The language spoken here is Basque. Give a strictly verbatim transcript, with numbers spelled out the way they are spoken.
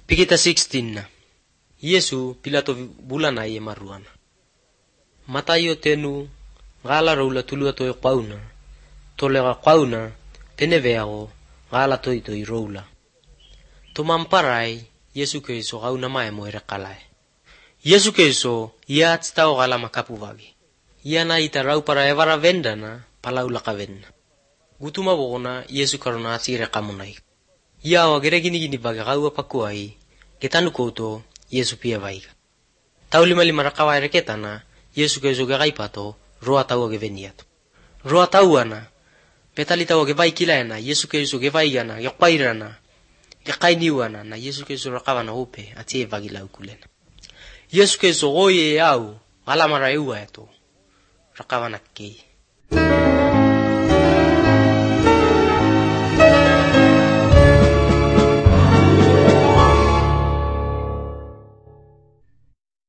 Pikita sixteen na. Yesu Pilato bulana ye maruana. Matayo tenu ngala roula tulua to qauna. Tolega qauna teneveago ngala toi toi roula. Tumamparai Yesu Kristo qauna mai moire qalai. Yesu Kristo ia tstao gala makapuvagi. Ia na itarau para evara vendana palaula kavenna. Gutuma bogona Yesu karona atire kamunai. Ia wa geregini gini baga gaua pakuai. Ketanu koto Yesu pia vaiga. Tauli mali marakawa reketana Yesu Kristo gagai pato roa taua geveniato. Roa tauana petali taua gevai kilaena Yesu Kristo gevaigana geqairana geqainiwana na Yesu Kristo rakavana upe atie vagila ukulena. Yesu Kristo goye au alamara eua eto rakavana kei.